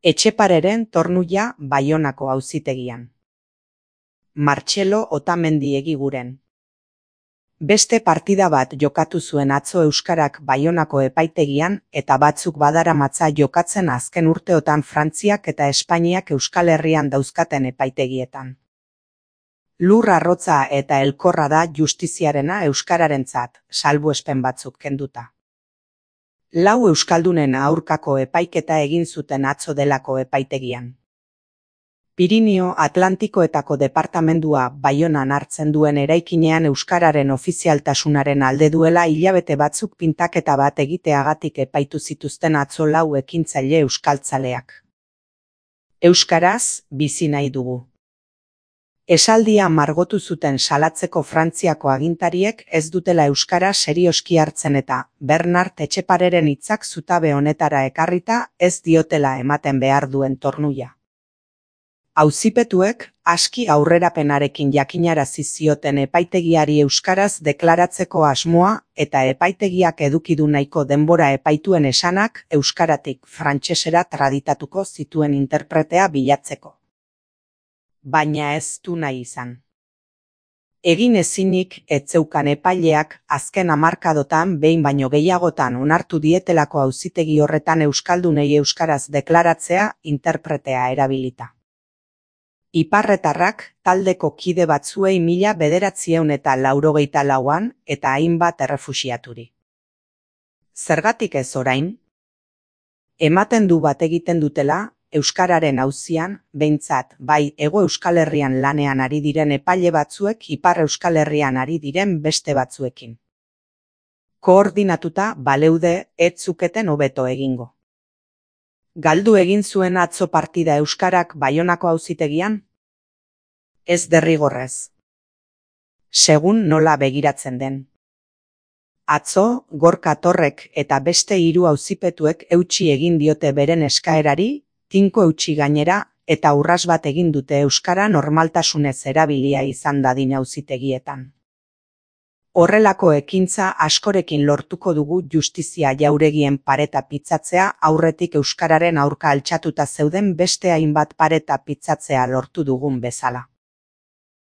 Etxepareren tornuia Baionako auzitegian. Martxelo Otamendi egiguren. Beste partida bat jokatu zuen atzo euskarak Baionako epaitegian eta batzuk badaramatza jokatzen azken urteotan Frantziak eta Espainiak Euskal Herrian dauzkaten epaitegietan. Lur arrotza eta elkorra da justiziarena euskararentzat, salbuespen batzuk kenduta. 4 euskaldunen aurkako epaiketa egin zuten atzo delako epaitegian. Pirinio Atlantikoetako departamendua Baionan hartzen duen eraikinean euskararen ofizialtasunaren alde duela hilabete batzuk pintaketa bat egiteagatik epaitu zituzten atzo 4 ekintzaile euskaltzaleak. Euskaraz bizi nahi dugu. Esaldia margotu zuten salatzeko Frantziako agintariek ez dutela euskara serioski hartzen eta Bernard Etxepareren hitzak zutabe honetara ekarrita ez diotela ematen behar duen tornuia. Auzipetuek aski aurrerapenarekin jakinarazi zioten epaitegiari euskaraz deklaratzeko asmoa eta epaitegiak eduki du nahiko denbora epaituen esanak euskaratik frantsesera traditatuko zituen interpretea bilatzeko. Baina ez du nahi izan. Egin ezinik ez zeukan epaileak azken hamarkadotan behin baino gehiagotan onartu dietelako auzitegi horretan euskaldunei euskaraz deklaratzea interpretea erabilita. Iparretarrak taldeko kide batzuei 1984an eta hainbat errefuxiaturi. Zergatik ez orain? Ematen du bat egiten dutela, euskararen auzian, behintzat, bai Hego Euskal Herrian lanean ari diren epaile batzuek Ipar Euskal Herrian ari diren beste batzuekin. Koordinatuta baleude ez zuketen hobeto egingo. Galdu egin zuen atzo partida euskarak Baionako auzitegian? Ez derrigorrez. Segun nola begiratzen den. Atzo, Gorka Torrek eta beste 3 auzipetuek eutsi egin diote beren eskaerari, tinko eutsi gainera, eta urras bat egin dute euskara normaltasunez erabilia izan dadin auzitegietan. Horrelako ekintza askorekin lortuko dugu justizia jauregien pareta pitzatzea aurretik euskararen aurka altxatuta zeuden beste hainbat pareta pitzatzea lortu dugun bezala.